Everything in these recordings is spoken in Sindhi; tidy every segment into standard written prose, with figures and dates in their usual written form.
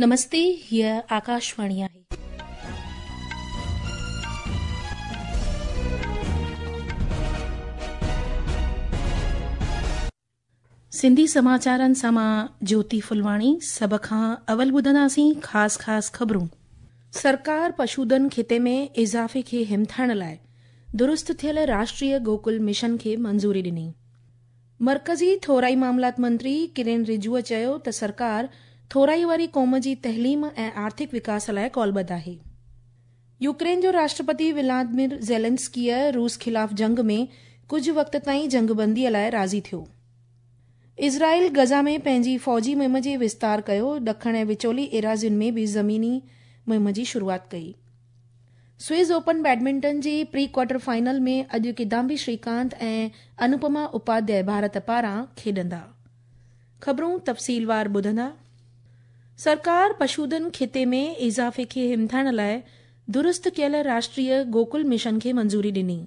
نمستي، هيء آڪاشواڻي آهي. سنڌي سماچارن سان مان جوتي ڦلواڻي سڀ کان اول ٻڌنداسين خاص خاص خبرون. سرڪار پشوڌن خطي ۾ اضافي کي همٿائڻ لاء درست ٿيل راشٽريه گوڪل مشن کي منظوري ڏني. مرڪزي ٿورائي معاملات منتري ڪرين رجوء چيو ته سرڪار ٿورائي واري قوم جي تعليم ۽ آرٿڪ وڪاس لاء قولبڌ آهي. يوڪرين جو راشٽرپتي ولادمير زيلنسڪيء روس خلاف جنگ ۾ ڪجهه وقت تائين جنگبنديء لاء راضي ٿيو. اسرائيل غزه ۾ پنهنجي فوجي مهم جي وستار ڪيو، ڏکڻ ۽ وچولي ايراضين ۾ به زميني مهم جي شروعات ڪئي. سوئس اوپن بيڊمنٽن جي پري ڪوارٽر فائنل ۾ اڄ ڪدامبي شريڪانت ۽ انوپما اپاڌياء ڀارت پاران کيڏندا. خبرون تفصيلوار ٻڌندا. سرڪار پشوڌن خطي ۾ اضافي کي همٿائڻ لاء درست ڪيل راشٽريه گوڪل مشن کي منظوري ڏني.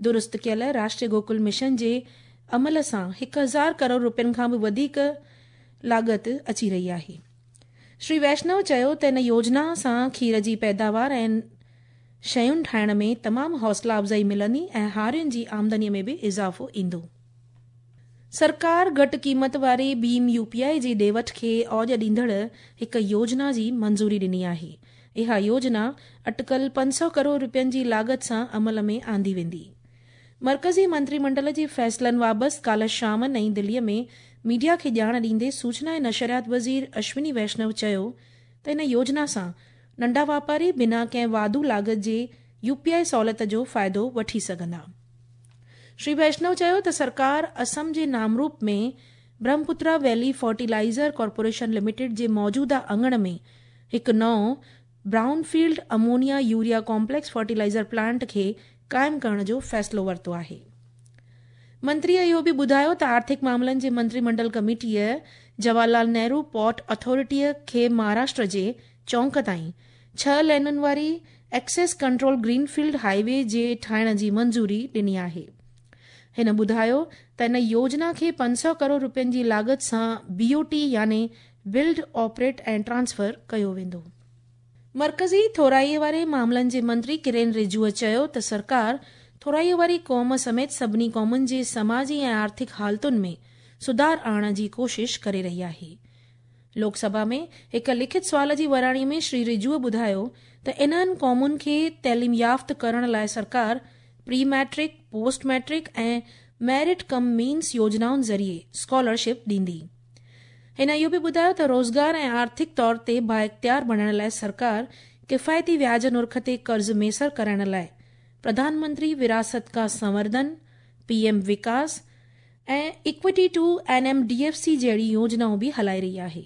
درست ڪيل راشٽريه گوڪل مشن جي عمل سان 1000 ڪروڙ روپين کان به وڌيڪ لاڳت اچي رهي آهي. شري ويشنو چيو ته ان يوجنا سان کير جي پيداوار ۽ شين ٺاهڻ ۾ تمام حوصلا افزائي ملندي ۽ هارين جي آمدني ۾ به اضافو ايندو. سرڪار گهٽ قيمت واري ڀيم يو پي آء جي ڏي وٺ کي اوڄ ڏيندڙ هڪ يوجنا جي منظوري ڏني آهي. اها يوجنا اٽڪل 500 ڪروڙ روپين جي لاڳت سان عمل ۾ آندي ويندي. مرڪزي منتري منڊل جي فيصلن بابت ڪالهه شام نئين دليء ۾ ميڊيا کي ڄاڻ ڏيندي سوچنا ۽ نشريات وزير اشوني ويشنو چيو ته ان يوجنا سان ننڍا واپاري بنا ڪنهن واڌو لاڳت جي يو پي آء سهولت جو فائدو وٺي سگهندا. شري ويشنو چيو ته سرڪار اسم جي نامروپ ۾ Brahmaputra valley fertilizer corporation limited جي موجوده اڱڻ ۾ هڪ نئون brown field ammonia urea complex fertilizer plant کي قائم ڪرڻ جو فيصلو ورتو آهي. منتريء اهو به ٻڌايو ته آرٿڪ معاملن جي منتري منڊل ڪميٽيء جواهر لال نهرو پورٽ اٿارٽيء کي مهاراشٽر جي چونڪ تائين 6 لينن واري access control green field highway جي ٺاهڻ جي منظوري ڏني آهي. هن ٻڌايو ته ان يوجنا کي 500 ڪروڙ روپين جي لاڳت سان بي او ٽي يعني بلڊ، آپريٽ ۽ ٽرانسفر ڪيو ويندو. مرڪزي ٿورائي واري معاملن جي منتري ڪرين رجوء چيو ته سرڪار ٿورائي واري قوم سميت سڀني قومن جي سماجي ۽ آرٿڪ حالتن ۾ سڌار آڻڻ جي ڪوشش ڪري رهي آهي. لوڪ سڀا ۾ هڪ لکت سوال جي وراڻي ۾ شري رجوء ٻڌايو ته انهن قومن کي تعليم يافته ڪرڻ لاء سرڪار pre matric, post matric ۽ merit cum means يوجنائن ذريعي اسڪالرشپ ڏيندي. هن اهو به ٻڌايو ته روزگار ۽ آرٿڪ طور تي بااختيار بڻائڻ لاء سرڪار ڪفايتي وياج نرخ تي قرض ميسر ڪرائڻ لاء پرڌان منتري وراثت ڪا سنورڌن، P M Vikas ۽ equity to N M D F C جهڙي يوجنائون به هلائي رهي آهي.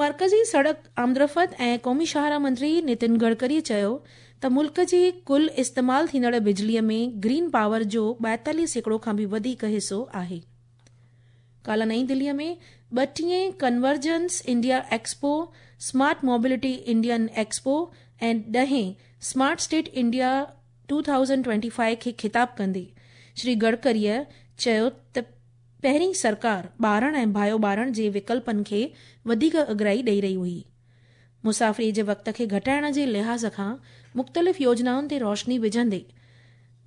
مرڪزي سڙڪ آمدرفت ۽ قومي شاهراهه منتري نتن گڊڪري چيو ته ملڪ جي ڪل استعمال ٿيندڙ بجليء ۾ گرين پاور جو 42% کان به وڌيڪ حصو آهي. ڪالهه نئين دليء ۾ 32هين convergence India expo, smart mobility Indian expo ۽ 10هين smart state India 2025 کي خطاب ڪندي شري گڊڪريء چيو ته پهرين سرڪار ٻارڻ ۽ بايو ٻارڻ جي وڪلپن کي وڌيڪ اڳرائي ڏئي رهي هئي. مسافريء جي وقت کي گهٽائڻ جي لحاظ کان مختلف يوجنائن تي روشني وجهندي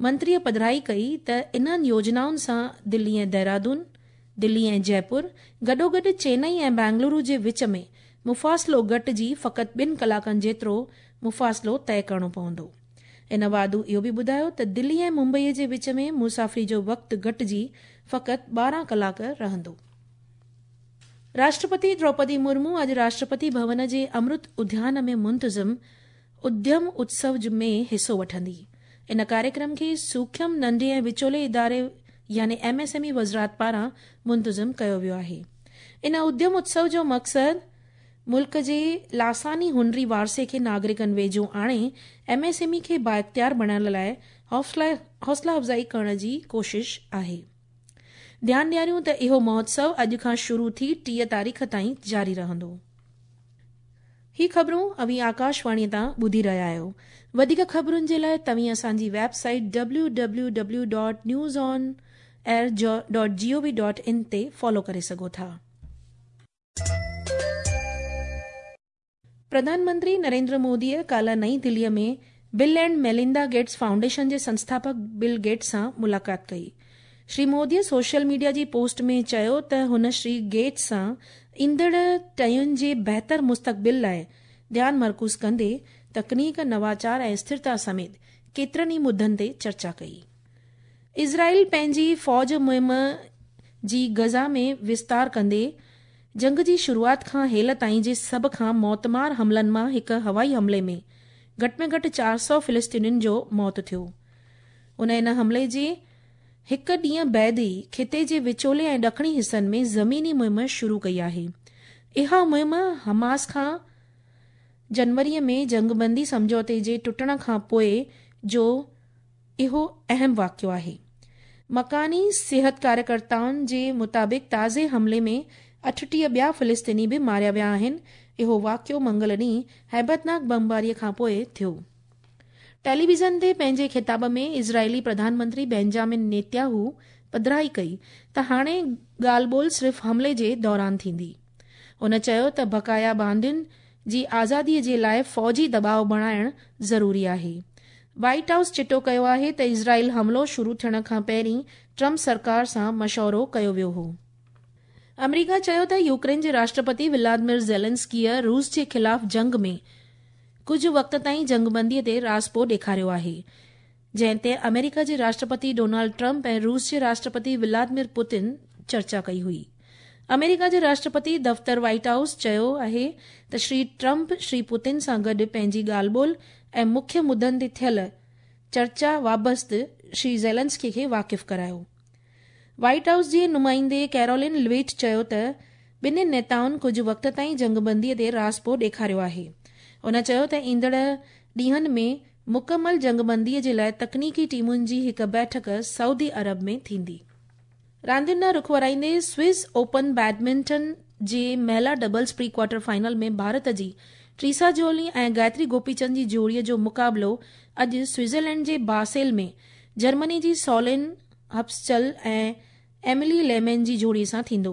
منتريء پڌرائي ڪئي ته انهن يوجنائن سان دلي ۽ دهرادون، دلي ۽ جئپور، گڏوگڏ چينئي ۽ بينگلورو جي وچ ۾ مفاصلو گهٽجي فقط 2 ڪلاڪن جيترو مفاصلو طئي ڪرڻو پوندو. هن واڌو اهو به ٻڌايو ته دلي ۽ ممبئي جي وچ ۾ مسافري جو وقت گهٽجي فقط 12 ڪلاڪ رهندو. راشٽرپتي دروپدي مرمو اڄ راشٽرپتي ڀون جي امرت اديان ۾ منتظم اديم اتسو ۾ حصو وٺندي. ان ڪاريڪرم کي سوکيم ننڍي ۽ وچولي اداري يعني ايم ايس ايم اي وزارت پاران منتظم ڪيو ويو آهي. ان اديم اتسو جو مقصد ملڪ جي لاثاني هنري وارثي کي ناگرڪن ويجهو آڻي ايم ايس ايم اي کي بااختيار بڻائڻ لاء حوصلا افزائي ڪرڻ جي ڪوشش آهي. ڌيان ڏياريون ته اهو مهوتسو اڄ کان شروع ٿي 30 تاريخ تائين جاري رهندو. هي خبرون اوهين آڪاشواڻيء تان ٻڌي رهيا آهيو. وڌيڪ خبرن جي لاء توهين اسان جي web site W W W dot news on air dot G O V dot in تي فالو ڪري سگهو ٿا. پرڌان منتري نريندر موديء ڪالهه نئين دليء ۾ Bill and Melinda Gates Foundation جي سنسٿاپڪ بل گيٽس سان ملاقات ڪئي. شري موديء سوشل ميڊيا جي پوسٽ ۾ چيو ته هن شري گيٽس سان ايندڙ ٽهين جي بهتر مستقبل لاء ڌيان مرڪوز ڪندي تڪنيڪ، نواچار ۽ اسٿرتا سميت ڪيترن ئي مدن تي چرچا ڪئي. اسرائيل پنهنجي فوج مهم جي غزه ۾ وستار ڪندي جنگ جي شروعات کان هيل تائين جي سڀ کان موتمار حملن مان هڪ هوائي حملي ۾ گهٽ ۾ گهٽ 400 فلسطينين جو موت ٿيو. ان ان حملي جي هڪ ڏينهن بعد ئي خطي جي وچولي ۽ ڏکڻي حصن ۾ زميني مهم شروع ڪئي آهي. اها مهم حماس کان جنوري ۾ جنگبندي سمجهوتي جي ٽٽڻ کان پوء جو اهو اهم واقعو آهي. مڪاني صحت ڪاريڪرتائن جي مطابق تازي حملي ۾ 38 ٻيا فلسطيني به ماريا ويا آهن. اهو واقعو منگل ڏينهن هيبتناڪ بمباري کان پوء ٿيو. ٽيليويزن تي پنهنجي خطاب ۾ اسرائيلي پرڌان منتري بينجامن نيتياهو پڌرائي ڪئي ته هاڻي ڳالهه ٻولهه صرف حملي جي دوران ٿيندي. هن چيو ته بقايا باندين جي آزادي جي لاء فوجي دٻاء بڻائڻ ضروري آهي. وائيٽ هائوس چٽو ڪيو آهي ته اسرائيل حملو شروع ٿيڻ کان پهرين ٽرمپ سرڪار سان مشورو ڪيو ويو هو. آمريڪا چيو ته يوڪرين جي راشٽرپتي ولادمير زيلنسڪيء روس جي خلاف جنگ ۾ ڪجهه وقت تائين جنگبندي تي راضپو ڏيکاريو آهي، جنهن تي آمريڪا جي راشٽرپتي ڊونالڊ ٽرمپ ۽ روس جي راشٽرپتي ولادمير پوتن چرچا ڪئي هئي. آمريڪا جي راشٽرپتي دفتر وائيٽ هائوس چيو آهي ته شري ٽرمپ شري پوتن سان گڏ پنهنجي ڳالهه ٻولهه ۽ مکيه مدن تي ٿيل چرچا وابست شري زيلنسڪي کي واقف ڪرايو. وائيٽ هائوس جي نمائندي ڪيرولين لويٽ چيو ته ٻنهي نيتائن ڪجهه وقت تائين جنگبندي تي راضپو ڏيکاريو آهي. هن چيو ته ايندڙ ڏينهن ۾ مڪمل جنگبندي جي لاء تڪنيڪي ٽيمن جي هڪ بيٺڪ سعودي عرب ۾ ٿيندي. راندين ڏانهن رخ ورائيندي سوئس اوپن بيڊمنٽن جي مهلا doubles pre quarter final ۾ Bharat جي ٽريسا جولي ۽ گايتري گوپيچند جي جوڙي جو مقابلو اڄ سوئٽزرلينڊ جي باسيل ۾ جرمني جي سولين هپسچل ۽ ايملي ليمين جي جوڙي سان ٿيندو.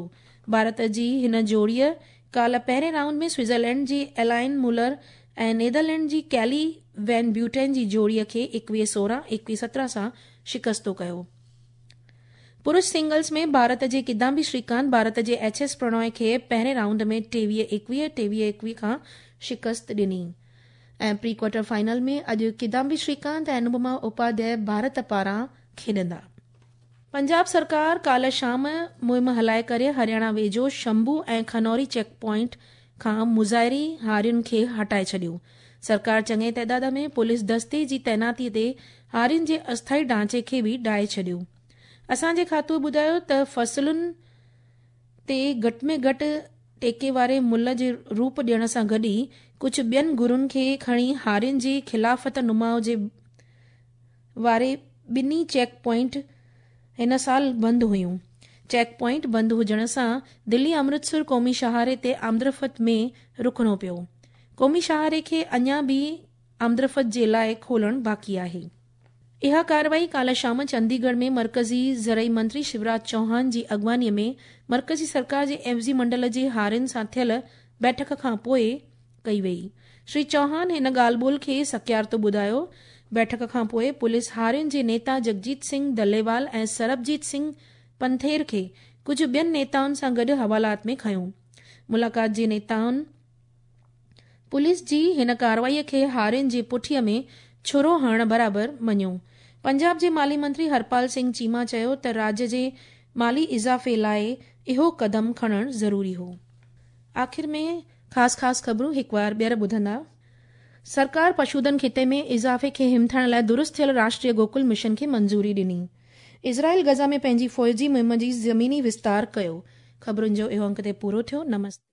ڀارت جي هن جوڙيء ڪالهه پهرين رائونڊ ۾ سوئٽزرلينڊ جي ايلائن مولر ۽ نيدرلينڊ جي ڪيلي وين بيوٽين جي جوڙي کي 21 16، 21 17 سان شڪستو ڪيو. پرش سنگلز ۾ ڀارت جي ڪدامبي شريڪانت ڀارت جي ايڇ ايس پرڻوي کي پهرين رائونڊ ۾ 23 21، 23 21 کان شڪست ڏني ۽ پري ڪوارٽر فائنل ۾ اڄ ڪدامبي شريڪانت ۽ انوپما اپاڌيائي ڀارت پاران کيڏندا. پنجاب سرڪار ڪالهه شام مهم هلائي ڪري هرياڻا ويجهو شمبو ۽ کنوري چيڪ پوائنٽ کان مظاهري هارين کي هٽائي ڇڏيو. سرڪار چڱي تعداد ۾ پوليس دستي جي تعيناتي تي هارين جي اسٿائي ڍانچي کي به ڊاهي ڇڏيو. اسان جي کاتوء ٻڌايو ته فصلن تي گهٽ ۾ گهٽ ٽيڪي واري ملهه جي روپ ڏيڻ سان گڏ ئي ڪجهه ٻين گهرن کي کڻي هارين جي خلافت نماء جي واري ٻنهي چيڪ پوائنٽ هن سال بند هيون. چيڪ پوائنٽ بند هجڻ سان دلي امرتسر قومي شاهراهه تي آمدرفت ۾ رڪڻو پيو. قومي شاهراهه کي اڃا به آمدرفت جي لاء کولڻ باقي آهي. اها ڪارروائي ڪالهه شام چنديڳڙهه ۾ مرڪزي زرعي منتري شيوراج چوهان جي اڳواڻي ۾ مرڪزي سرڪار جي عيوضي منڊل جي هارين سان ٿيل بيٺڪ کان پوء ڪئي وئي. شري چوهان هن ڳالهه ٻولهه کي سڪيارتو ٻڌايو. بيٺڪ کان پوء پوليس هارين جي نيتا جگجيت سنگهه دليوال ۽ سربجيت سنگهه پنٿير کي ڪجهه ٻين نيتائن سان گڏ حوالات ۾ کنيو. ملاقات جي نيتائن پوليس جي هن ڪارروائي کي هارين جي پٺيء ۾ ڇرو هڻڻ برابر مڃيو. پنجاب جي مالي منتري هرپال سنگهه چيما چيو ته راڄ جي مالي اضافي لاء اهو قدم کڻڻ ضروري هو. آخر ۾ خاص خاص خبرون هڪ وار ٻيهر ٻڌندا. سرڪار پشوڌن خطي ۾ اضافي کي همٿائڻ لاء درست ٿيل راشٽريه گوڪل مشن کي منظوري ڏني. اسرائيل غزه ۾ پنهنجي فوجي مهم جي زميني وستار ڪيو. خبرن جو اهو انڪ تي پورو ٿيو. نمستي.